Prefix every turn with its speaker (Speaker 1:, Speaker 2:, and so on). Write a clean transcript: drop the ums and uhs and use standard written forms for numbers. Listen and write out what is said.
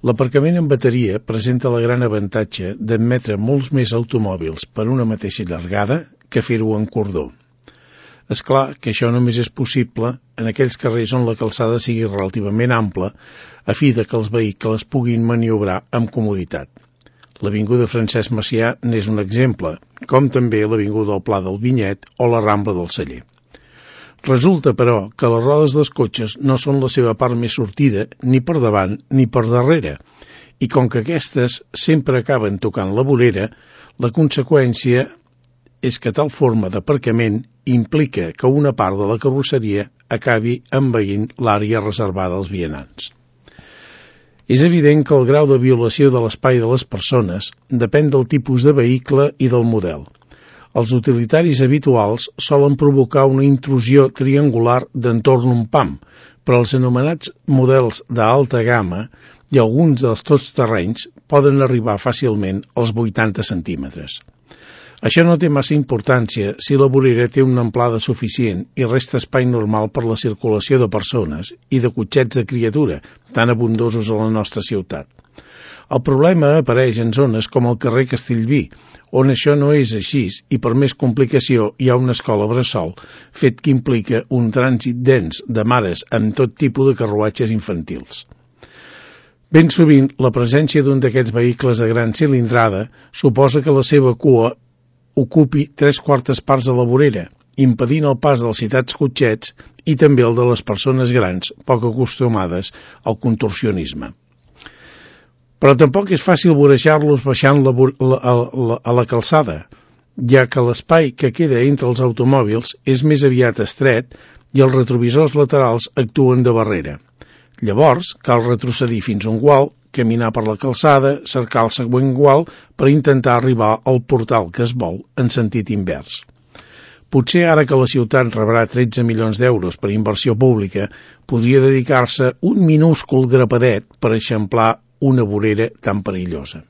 Speaker 1: L'aparcament en bateria presenta el gran avantatge d'admetre molts més automòbils per una mateixa llargada que fer-ho en cordó. És clar que això només és possible en aquells carrers on la calçada sigui relativament ampla a fi de que els vehicles puguin maniobrar amb comoditat. L'avinguda Francesc Macià n'és un exemple, com també l'avinguda del Pla del Vinyet o la Rambla del Celler. Resulta, però, que les rodes dels cotxes no són la seva part més sortida ni per davant ni per darrere, i com que aquestes sempre acaben tocant la vorera, la conseqüència és que tal forma d'aparcament implica que una part de la carrosseria acabi envaint l'àrea reservada als vianants. És evident que el grau de violació de l'espai de les persones depèn del tipus de vehicle i del model. Els utilitaris habituals solen provocar una intrusió triangular d'entorn un pam, però els anomenats models d'alta gamma i alguns dels totsterrenys poden arribar fàcilment als 80 centímetres. Això no té massa importància si la vorera té una amplada suficient i resta espai normal per la circulació de persones i de cotxets de criatura, tan abundosos a la nostra ciutat. El problema apareix en zones com el carrer Castellví, on això no és així i per més complicació hi ha una escola bressol, fet que implica un trànsit dens de mares amb tot tipus de carruatges infantils. Ben sovint, la presència d'un d'aquests vehicles de gran cilindrada suposa que la seva cua ocupi 3/4 parts de la vorera, impedint el pas dels citats cotxets i també el de les persones grans poc acostumades al contorsionisme. Però tampoc és fàcil vorejar-los baixant a la calçada, ja que l'espai que queda entre els automòbils és més aviat estret i els retrovisors laterals actuen de barrera. Llavors, cal retrocedir fins a un gual, caminar per la calçada, cercar el següent gual per intentar arribar al portal que es vol en sentit invers. Potser ara que la ciutat rebrà 13 milions d'euros per inversió pública, podria dedicar-se un minúscul grapadet per eixamplar una vorera tan perillosa.